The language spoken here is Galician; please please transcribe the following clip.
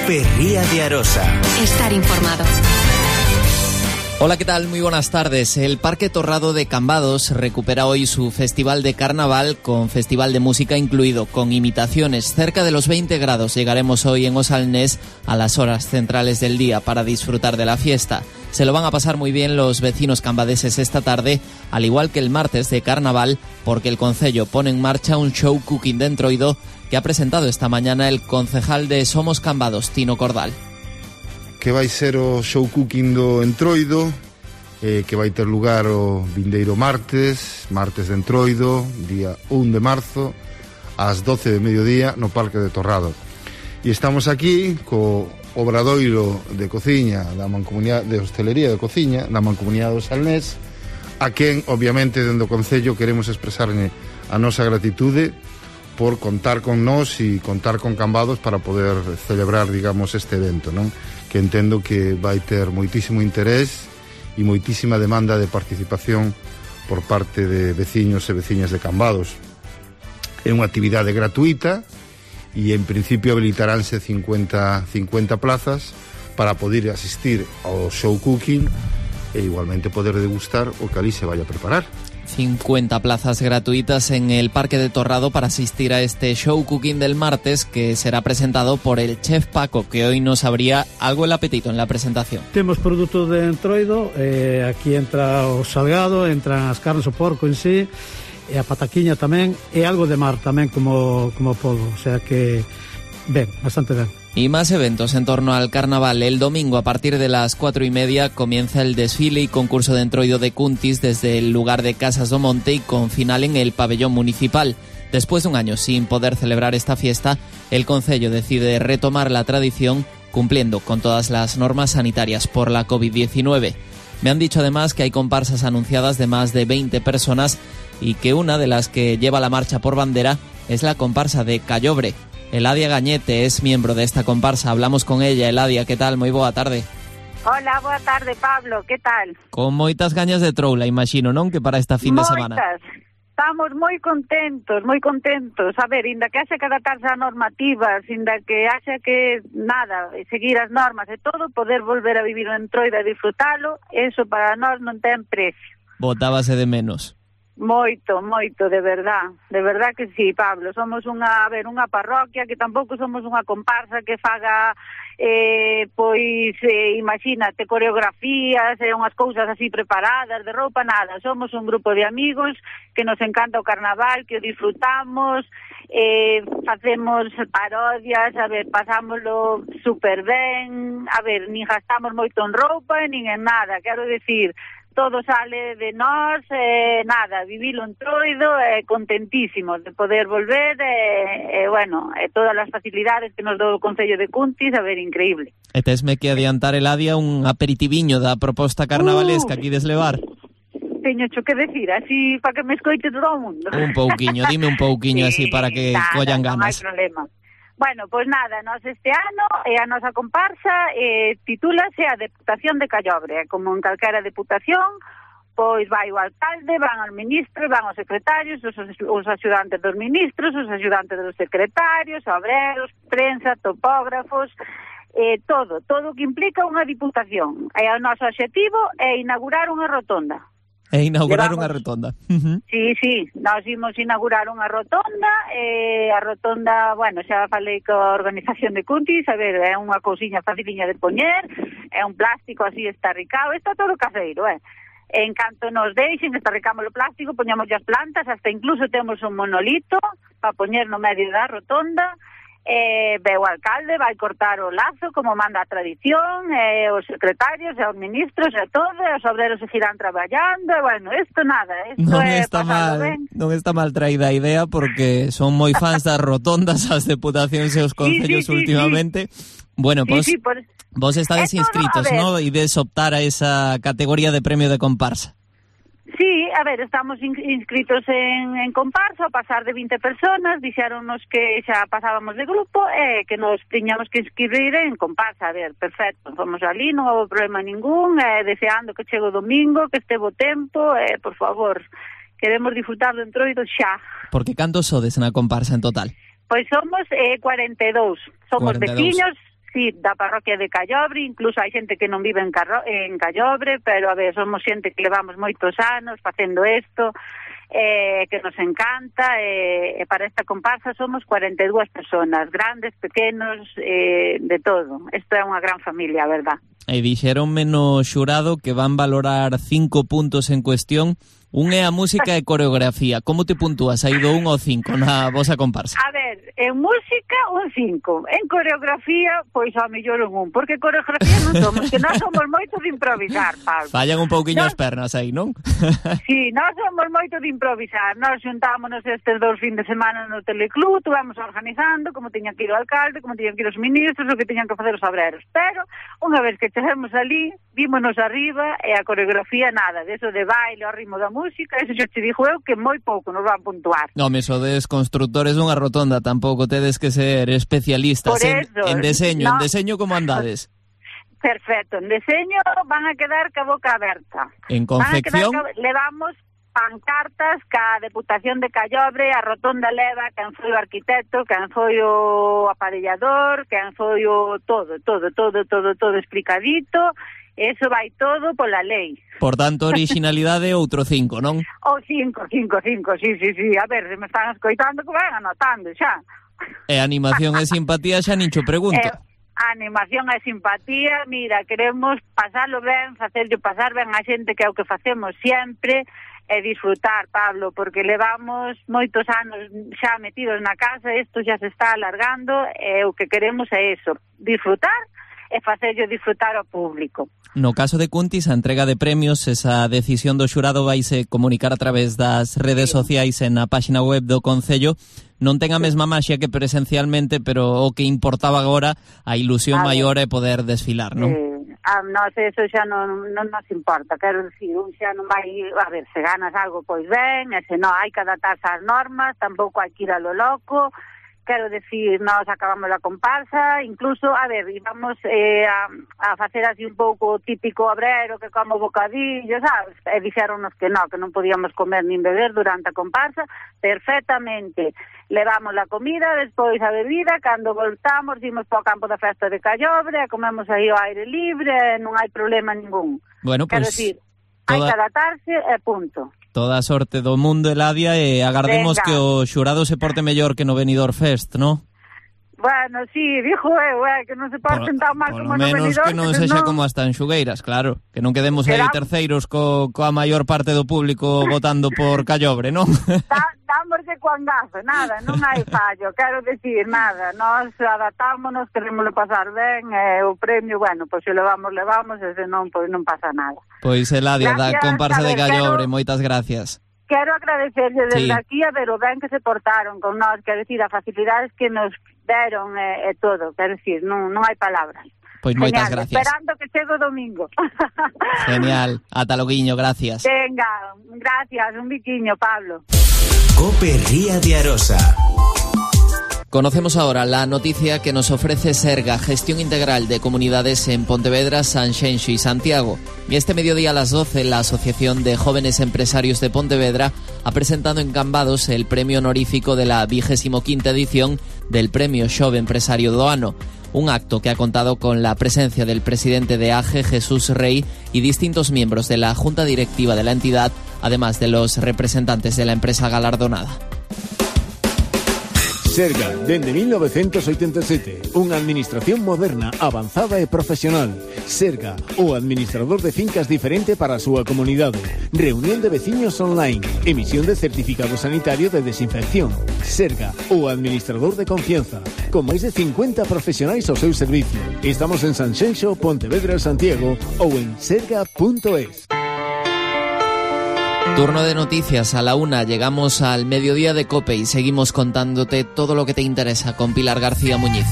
Ferría de Arosa. Estar informado. Hola, ¿qué tal? Muy buenas tardes. El Parque Torrado de Cambados recupera hoy su festival de carnaval con festival de música incluido, con imitaciones. Cerca de los 20 grados llegaremos hoy en Osalnés a las horas centrales del día para disfrutar de la fiesta. Se lo van a pasar muy bien los vecinos cambadeses esta tarde, al igual que el martes de carnaval, porque el concello pone en marcha un show cooking de Entroido que ha presentado esta mañana el concejal de Somos Cambados, Tino Cordal. Que vai ser o show cooking do Entroido, que vai ter lugar o vindeiro martes de Entroido, día 1 de marzo, ás 12 de mediodía, no Parque de Torrado. E estamos aquí co obradoiro de cociña da Mancomunidade de Hostelería de Cociña da Mancomunidade do Salnés, a quen, obviamente, dende o Concello queremos expresarne a nosa gratitude por contar con nós e contar con Cambados para poder celebrar, digamos, este evento, non? Que entendo que vai ter moitísimo interés e moitísima demanda de participación por parte de veciños e veciñas de Cambados. É unha actividade gratuita e en principio habilitaránse 50 plazas para poder asistir ao show cooking e igualmente poder degustar o que ali se vaya a preparar. 50 plazas gratuitas en el Parque de Torrado para asistir a este show cooking del martes, que será presentado por el chef Paco, que hoy nos abría algo el apetito en la presentación. Temos produtos de Entroido, aquí entra o salgado, entran as carnes, o porco en sí, e a pataquiña tamén, e algo de mar tamén como polvo, o sea que ben, bastante ben. Y más eventos en torno al carnaval. El domingo a partir de las 4:30 comienza el desfile y concurso de Entroido de Cuntis desde el lugar de Casas do Monte y con final en el pabellón municipal. Después de un año sin poder celebrar esta fiesta, el concello decide retomar la tradición cumpliendo con todas las normas sanitarias por la COVID-19. Me han dicho además que hay comparsas anunciadas de más de 20 personas y que una de las que lleva la marcha por bandera es la comparsa de Callobre. Eladia Gañete es miembro de esta comparsa. Hablamos con ella. Eladia, ¿qué tal? Moi boa tarde. Hola, boa tarde, Pablo. ¿Qué tal? Con moitas gañas de troula, imagino, non? Que para esta fin de semana. Estamos moi contentos. A ver, inda que haxe que adaptarse a normativas, inda que haxe que, nada, seguir as normas e todo, poder volver a vivir en Entroido e disfrutalo, eso para nós non ten precio. Botábase de menos. Moito, de verdad que sí, Pablo. Somos unha parroquia que tampouco somos unha comparsa que faga imagínate, coreografías e unhas cousas así preparadas de roupa, nada. Somos un grupo de amigos que nos encanta o carnaval, que o disfrutamos, facemos parodias, a ver, pasámoslo super ben, a ver, nin gastamos moito en roupa nin en nada, quero decir, todo sale de nós, nada, vivilo en Entroido, contentísimos de poder volver, todas as facilidades que nos do o Concello de Cuntis, a ver, increíble. E tesme que adiantar, Eladia, un aperitiviño da proposta carnavalesca aquí deslevar. Teño que decir, así para que me escoite todo o mundo. Un pouquiño, dime un pouquiño sí, así para que collan ganas. Non hai problema. Bueno, pois nada, nós este ano a nosa comparsa titúlase a Deputación de Callobre. Como en calquera deputación, pois vai o alcalde, van os ministros, van os secretarios, os axudantes dos ministros, os axudantes dos secretarios, obreros, prensa, topógrafos, todo que implica unha diputación. E o noso obxectivo é inaugurar unha rotonda. Unha rotonda. Sí, nós imos inaugurar unha rotonda, a rotonda, bueno, xa falei coa organización de Cuntis, a ver, é unha cousiña faciliña de poñer, é un plástico así estarricado, está todo caseiro, En canto nos deixen, estarricamos o plástico, poñamos as plantas, hasta incluso temos un monolito para poñer no medio da rotonda. O alcalde vai cortar o lazo como manda a tradición, os secretarios e os ministros e todo, os obreros seguirán traballando, e bueno, isto nada, non está mal traída a idea porque son moi fans das rotondas as deputacións e os concellos últimamente. Bueno, vos estades inscritos, ¿no? E des optar a esa categoría de premio de comparsa. Sí, a ver, estamos inscritos en comparsa, a pasar de 20 personas, dixéronnos que xa pasábamos de grupo e que nos tiñamos que inscribir en comparsa. A ver, perfecto, fomos ali, non houve problema ningún, deseando que chegue o domingo, que este bo tempo, por favor, queremos disfrutar do Entroido xa. Porque cantos sodes na comparsa en total? Pois somos 42, somos 42. veciños, sí, da parroquia de Callobre, incluso hai xente que non vive en Callobre, pero a ver, somos xente que levamos moitos anos facendo isto, que nos encanta, e para esta comparsa somos 42 personas, grandes, pequenos, de todo. Isto é unha gran familia, a verdad. E dixeronme no xurado que van valorar 5 puntos en cuestión. Un é a música e coreografía. Como te puntúas aí do 1 ao 5 na vosa comparsa? A ver, en música un 5, en coreografía pois ao mellor un 1, porque coreografía non somos, que nós somos moito de improvisar, Pablo. Fallan un pouquiño as pernas aí, non? Sí, nós somos moito de improvisar. Nós xuntámonos estes 2 fin de semana no teleclub, vamos organizando como tiñan que ir o alcalde, como tiñan que ir os ministros, o que tiñan que facer os obreros. Pero, unha vez que chegamos ali, vímonos arriba e a coreografía nada, deso de baile ao ritmo da música, eso xa te dixo eu que moi pouco nos van puntuar. Non, me sodes constructores dunha rotonda, tampouco tedes que ser especialistas en deseño. No. En deseño como andades? Perfecto, en deseño van a quedar ca boca aberta. En confección? Levamos pancartas ca Deputación de Callobre, a rotonda leva quen foi o arquitecto, quen foi o aparellador, quen foi o todo explicadito. Eso vai todo pola lei. Por tanto, originalidade outro 5, non? O 5, sí. A ver, se me están escoitando que van anotando xa. E animación e simpatía xa nin cho pregunto. Animación e simpatía, mira, queremos pasalo ben, facerlo pasar ben a xente, que é o que facemos sempre, e disfrutar, Pablo, porque levamos moitos anos xa metidos na casa, isto xa se está alargando, e o que queremos é eso, disfrutar e facerlo disfrutar ao público. No caso de Cuntis, a entrega de premios, esa decisión do xurado vaise comunicar a través das redes sociais e na páxina web do Concello. Non ten a mesma maxia que presencialmente, pero o que importaba agora, a ilusión maior é poder desfilar, non? Nós eso xa non nos importa, quero dicir, un xa non vai, a ver, se ganas algo pois ben, e se non hai que adaptarse ás normas, tampouco hai que ir a lo loco. Quero decir, nós acabamos a comparsa, incluso, a ver, íbamos a facer así un pouco típico obrero que como bocadillo, sabes? E dixeronnos que non podíamos comer nin beber durante a comparsa, perfectamente. Levamos a comida, despois a bebida, cando voltamos, dimos para o campo da festa de Callobre, comemos aí ao aire libre, non hai problema ningún. Bueno, quero decir, hai que adaptarse e punto. Toda a sorte do mundo, Eladia, e agardemos que o xurado se porte mellor que no Benidorm Fest, non? Bueno, sí, dixo eu, que non se porten tan mal como no Benidorm. Por lo menos que non sexa como as Tanxugueiras, claro. Que non quedemos aí terceiros coa maior parte do público votando por Callobre, non? Damos de cuangazo, nada, non hai fallo, quero decir, nada. Nós adaptámonos, queremoslo pasar ben, o premio, bueno, pois se levamos, e se non, pois non pasa nada. Pois Eladia, da comparsa de Callobre, moitas gracias. Quero agradecerle desde aquí a ver o ben que se portaron con nós, quero decir, a facilidades que nos deron e todo, quero decir, non hai palabras. Pois moitas gracias. Esperando que chegue o domingo. Genial, ata loguiño, gracias. Venga, gracias, un biquiño, Pablo. COPE Ría de Arosa. Conocemos ahora la noticia que nos ofrece Serga, Gestión Integral de Comunidades en Pontevedra, Sanxenxo y Santiago. Y este mediodía a las 12, la Asociación de Jóvenes Empresarios de Pontevedra ha presentado en Cambados el premio honorífico de la 25ª edición del Premio Xove Empresario do Ano. Un acto que ha contado con la presencia del presidente de AGE, Jesús Rey, y distintos miembros de la Junta Directiva de la entidad, además de los representantes de la empresa galardonada. Serga, dende 1987, unha administración moderna, avanzada e profesional. Serga, o administrador de fincas diferente para a súa comunidade. Reunión de veciños online, emisión de certificado sanitario de desinfección. Serga, o administrador de confianza, con máis de 50 profesionais ao seu servicio. Estamos en Sanxenxo, Pontevedra, Santiago ou en serga.es. Turno de noticias a la 1, llegamos al mediodía de COPE y seguimos contándote todo lo que te interesa con Pilar García Muñiz.